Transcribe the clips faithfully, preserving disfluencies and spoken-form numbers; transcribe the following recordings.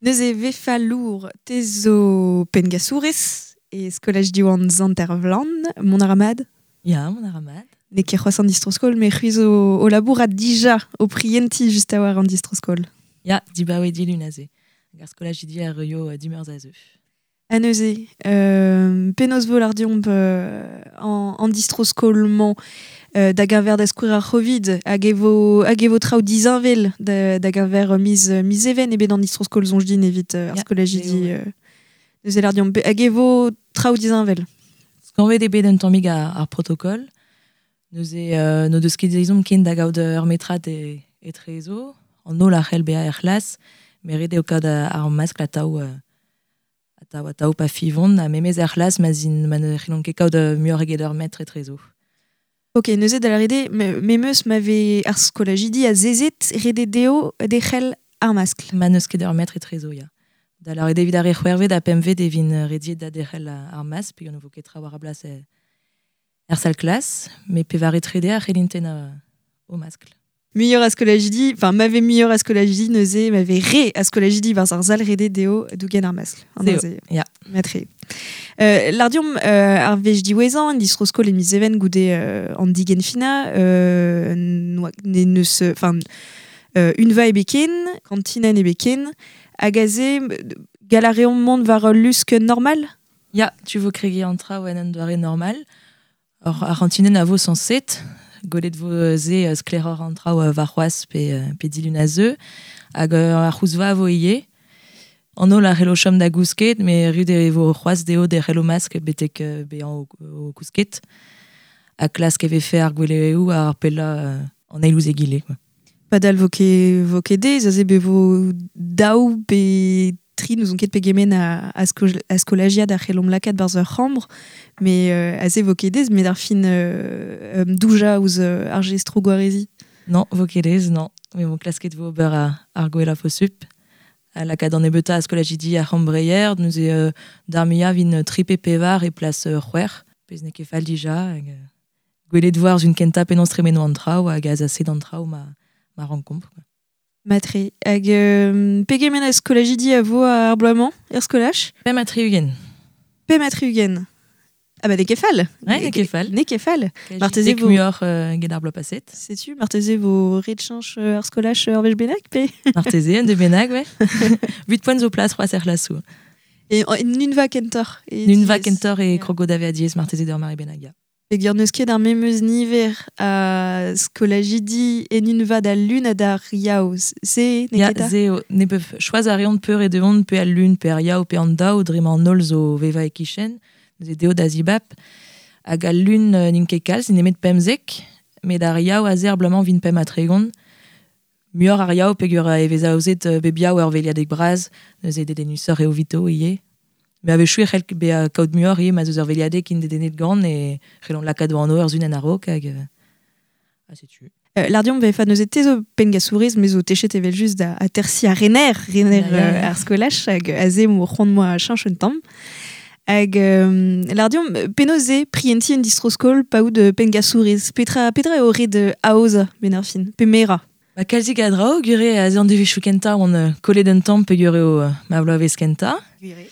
Neuze vefa lour te zo pengasourez e skolaj diwan Zantervlan, mon aramad. Ya, mon aramad. Ne ket c'hoazh an distro-skol, me c'hwi zo o labour a dija o prienti just a war an distro-skol. Ya, dibaoe dilun aze. Hag ar skolaj idi ar eo dimeurzh a zeuf. A neuze, euh, penaos vo lar diomp euh, an, an distro-skol-mañ euh, da geñver da skouer ar C'hovid hag e vo, hag e vo traoù dizinvel da, da geñver miz, miz even ebet an distro-skol zonj din evit euh, ar Ya, skolaj eo, idi ouais. euh, neuze lar diomp hag e vo traoù dizinvel. Skañvet eo bet un tammig ar, ar protokol. Neuze euh, no deus ket ezhomm ken da gaout ur metrad e, etrezo. An holl a c'hell bezañ er c'hlas, met ret eo kaout ar maskl atav euh, atav atav pa fivont, ha memez er c'hlas ma zin ma ne c'hellont ket kaout muioc'h eget ur metr etrezo. Ok, neuze da lâret eo, me, memeus ma vez ar skolajidi a zezet rede dezho derc'hel ar maskl. Ma n'eus ket ur metr etrezo, ya. Da lâret eo evit ar re c'hwervet ha pempvet e vin rediet da derc'hel ar maskl, peogwir ne vo ket tra war a blas e, er sal klas, met pevar etrede a c'hellint tennañ o maskl. Muioc'h a skolajidi, enfin ma vez muioc'h a skolajidi neuze, ma vez re a skolajidi war ar sal rede dezho dougen ar maskl. An Zeo, neuze, ya. Matre. Euh, Lardiom euh, ar vech diwezhañ, en distro-skol e miz even goude euh, an digenfina, euh, noa, ne neus, enfin, euh, unva ebeken, kantinen ebeken, hag aze, galareomp mont war ul lusk normal? Ya, tu vo kregiñ an traoù en un doare normal. Or, ar c'hantinen a vo sañset, golet vo ze uh, sklaeroc'h an traoù uh, war c'hoazh pe, uh, pe dilun a zeu, hag uh, ar c'houzva a vo ivez. An holl a c'hello chom da gousket, met ret e vo c'hoazh dezho derc'hel o maskl betek uh, bezañ o, o kousket. Ha klask e vefe ar gweleoù ar pellañ uh, an eil ouzh egile, quoi. Padal vo ket, vo ket dez, aze be vo daou pe tri n'ouzon ket pegement a, a, sko, a skolajiad a c'hellomp lakaat barzh ur c'hambr, met euh, aze vo ket dez, met ar fin euh, douja ouzh euh, ar jestro gwarezi. Non, vo ket dez, non. Mais bon, klasket vo ober ar, ar gwella posupl. A lakaat an nebeutañ a skolajidi ar c'hambreier, neuze euh, d'ar muiañ vin tri pe pevar e plas euh, c'hwec'h, pezh n'eo ket fall dija. Hag, euh, gwelet vo ar zun kentañ penaos tremeno an traoù hag azaset an traoù ma, ma renkomp, quoi. Matre. Hag euh, pegement a skolajidi a vo ar bloaz-mañ, er skolaj? Pemp ha tri-ugent. Pemp ha tri-ugent. Ah bah, n'eo ket fall. Ouais, n'eo ket fall. N'eo ket fall. Kaji Marteze dek vo muioc'h euh, get ar bloaz paset. Setu, marteze vo ret cheñch ar skolaj ur wech bennak, pe? Marteze, un de bennak, ouais. Huit poent zo plas c'hoazh er c'hlasoù. Et en nunva kentoc'h. E Nunva diez. kentoc'h e Ya. krogo da vezañ diaes marteze d'ur mare bennak, ya. Peogwir n'eus ket ar memes niver a skolajidi en unva da lun ha d'ar yaou. Se, n'eo Ya, ket ta? se eo, ne peuf choaz a reont peur e deuont pe al lun, pe ar yaou, pe an daou, dre ma an holl zo vevañ e-kichen, neuze dezho da zibab, hag al lun euh, n'int ket kalz, nemet pemzek, met ar yaou aze ar bloaz-mañ vin pemp ha tregont. Muioc'h ar yaou peogwir e vez aozet euh, bep yaou ur veliadeg bras, neuze dedennusoc'h eo 'vito ivez. Mais a-wechoù e c'hell bezañ kaout muioc'h ivez ma 'z eus ur veliadeg int dedennet gant e c'hellont lakaat o anv ur zun en a-raok hag euh, ha setu. Euh, Lardion vefa neuze te zo pengasourez, me zo techet evel just da atersi ar rener, rener Ya, ya, euh, ya. ar skolaj, hag aze mo c'hoant moa cheñch un tamm. Hag euh, Lardion, penaos eo prienti un distro-skol pa out pengasourez? Petra, petra eo ret aozañ benn ar fin? Pe merañ? Ba, kalzik a draoù, gwir eo aze an devezhioù kentañ oan euh, kollet un tamm peogwir eo euh, ma bloavezh kentañ. Gwir eo.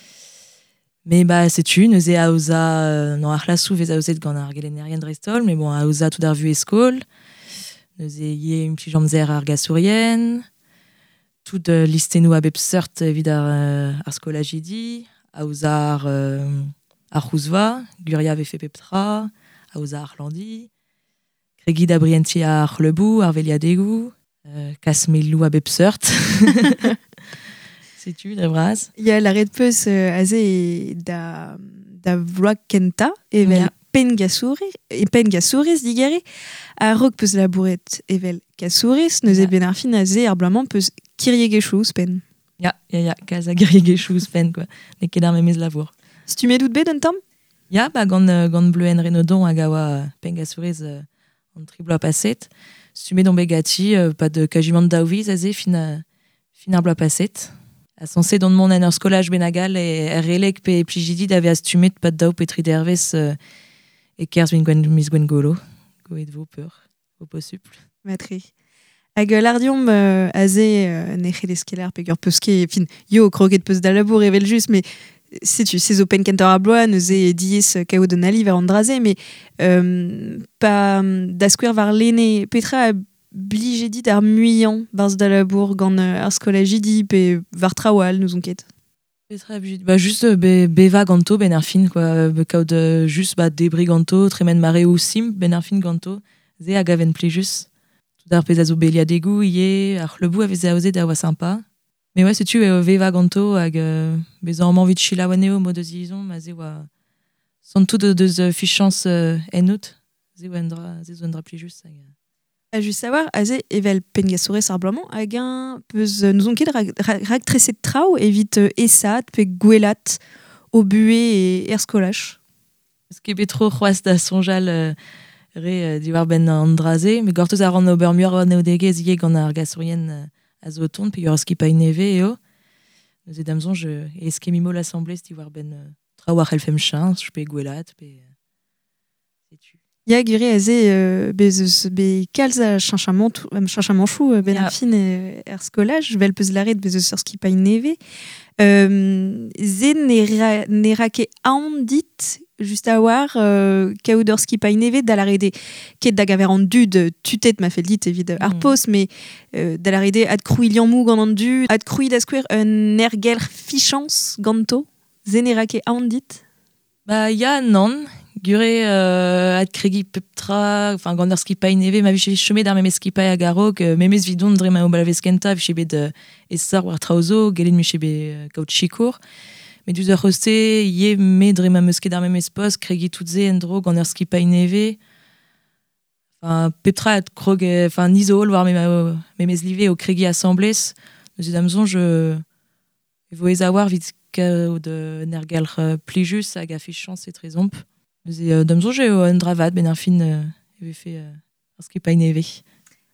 Mais ba, setu, neuze aozañ, euh, non, ar c'hlasoù vez aozet gant ar gelennerien dreist-holl, mais bon, aozañ tout ar vuhez skol. Neuze ivez implij amzer ar gasourien, tout euh, listennoù a bep seurt evit ar, euh, ar skolajidi, aozañ ar, euh, ar c'houzva, gwiriañ vefe pep tra, aozañ ar c'hlañdi, kregiñ da brientiñ ar c'hleuboù, ar veliadegoù, euh, kas meloù a bep seurt. Setu, dre vras. Ya, lâret peus euh, aze e da, da vloaz kentañ, evel Ya. pengasourez, e pengasourez digere, a-raok peus labouret evel kasourez, neuze Ya. benn ar fin aze ar bloaz-mañ peus kiriegezhioù ouzhpenn. Ya, ya, ya, kalz a giriegezhioù ouzhpenn, quoi. N'eo ket ar memes labour. Stummet out bet un tamm? Ya, ba, gant, euh, gant Bleuenn Renaudon hag a oa euh, pengasourez euh, an tri bloaz paset. Stummet on bet ganti, euh, pad kajimant daou viz aze fin, euh, fin ar bloaz paset. A sañset on mont en ur skolaj bennak all e er Releg pe Plijidi da vezañ stummet pad daou pe tri dervezh euh, e-kerzh min gwen, miz Gwengolo. Gwelet vo peur, vo posupl. Matre. Hag l'ardiom euh, aze euh, ne c'hellez ket lar peger peus ket, fin, yo kroget peus da labour evel just, mais setu, se zo penn kentañ ar bloaz, neuze diaes kaout un ali war an dra-se, mais euh, pa da skouer war lene, petra a blije dit ar muiañ barzh da labour gant ar skolajidi pe war traoù all n'ouzon ket. Petra a blije, bah juste be, beva ganto ben ar fin, quoi, be kaout just ba debri ganto, tremen mareoù simp ben ar fin ganto, ze hag aven plijus. Tout ar pezh a zo beliadegoù ivez, ar c'hleuboù a veze aozet a oa sympa. Mais ouais, setu eo veva ganto hag euh, bezañ amañ evit selaou anezho mod eus izon, ma ze oa santout deus euh, fichañs euh, ennout, ze oa un dra, ze zo un dra plijus. Hag... A just savoir, aze evel penngasourez ar bloaz-mañ, hag un peus n'ouzon ket rag, rag, rag treset traoù evit euh, esat pe gwelat o buhe e er skolaj. Eus ket bet tro c'hoazh da soñjal euh, re euh, diwar benn an dra-se, met gortoz a ran ober muioc'h anaoudegezh ivez gant ar gasourien euh, a zo o tont, pe ur skipailh nevez eo. Neuze da'm soñj e eskemmimo l'assemblée diwar benn euh, traoù ar c'hellfemp cheñch, pe gwelat, pe... Setu. Ya gure aze euh, bez eus be kalz a cheñchamant cheñchamanchoù euh, ben ar fin euh, er skolaj, vel peus laret bez eus ur skipailh nevez. Euh, ze ne ra, ne ra ket aon dit just a war euh, kaout ur skipailh nevez da lâret ket da gaver an dud tutet ma fell dit evit ar mm. post, mais euh, da lâret ad krouiñ liammoù gant an dud, ad krouiñ da skouer un ergelc'h fichañs ganto, ze ne ra ket aon dit? Ba ya, nann. Gure euh, ad kregi pep tra, enfin gant ur skipailh nevez, ma vije chomet ar memes skipailh hag a-raok, euh, memes vidon dre ma obalavez kentañ, vije bet euh, esor war traoù zo, gellet mije bet euh, kaout sikour. Mais diouzh ur c'hoste, ivez me dre ma meus ket ar memes post, kregi tout se en-dro gant ur skipailh nevez. Enfin, pep tra ad krog, enfin, ni zo holl war me memes live o kregi asambles. Neuze da'm soñj, e vo aes a-walc'h evit kaout un ergelc'h plijus hag a fichañs etrezomp. Neuze euh, da'm soñj eo un dra vat ben ar fin euh, e vefe euh, ur skipailh nevez.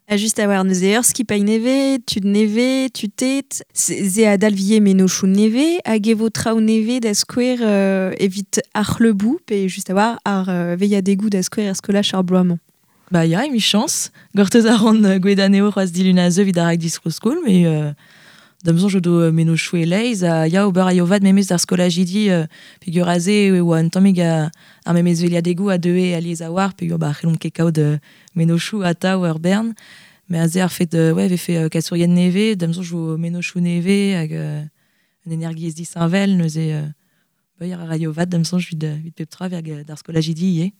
A just a war neuze ur skipailh nevez, tud nevez, tutet, ze a dalvie mennozhioù nevez, hag e vo traoù nevez da skouer euh, evit ar c'hleuboù, pe just a war ar euh, veilhadegoù da skouer er skolaj ar bloaz-mañ. Ba ya, emichañs. Gortoz a ran gwelet anezho c'hoazh dilun a zeu evit ar rak distro-skol, mais euh, da'm soñj o do mennozhioù e-leizh, ha ya ober a yo vat memes d'ar skolajidi euh, peogwir aze e oa un tammig a, ar memes veliadegoù a deue alies a-walc'h, peogwir ba c'hellomp ket kaout euh, mennozhioù atav ur bern. Mais aze ar fet euh, ouais, vefe euh, kasourien nevez, da'm soñj vo mennozhioù nevez hag euh, un energiezh disheñvel, neuze euh, ba ya a raio vat da'm soñj evit, evit pep tra hag d'ar skolajidi ivez.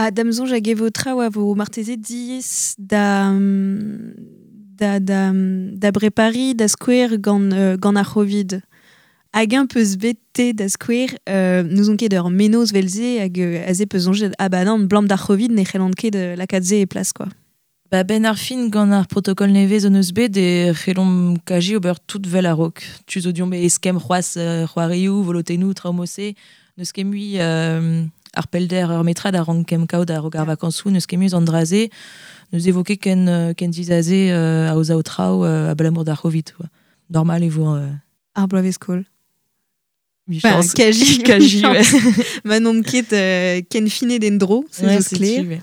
Ha da'm soñj hag e vo traoù a vo marteze diaes da da, da, da brepari da skouer gant, euh, gant ar Covid. Hag un peus bet te da skouer, euh, n'ouzon ket ur mennozh vel-se hag euh, aze peus soñjet ah bah non, blam d'ar Covid ne c'hellan ket euh, lakaat se e plas, quoi. Ba ben ar fin gant ar protokol nevez zo neus bet e c'hellomp kaji ober tout vel a-raok. Tu zo diomp eskemm c'hoazh euh, c'hoarioù, volotennoù, traoù mod-se, n'eus ket mui euh, ar pellder ur metrad a rank kem kaout a-raok ar vakañsoù, n'eus ket mui an dra-se, neus evoket ken, ken dizaze euh, aozañ traoù euh, abalamour d'ar Covid, quoi. Normal e vo... Euh... Ar bloavezh-skol. Michañs. Enfin, kaji, kaji, ouais. Ma n'omp ket euh, ken finet en dro, se ouais, zo sklaer. Ouais.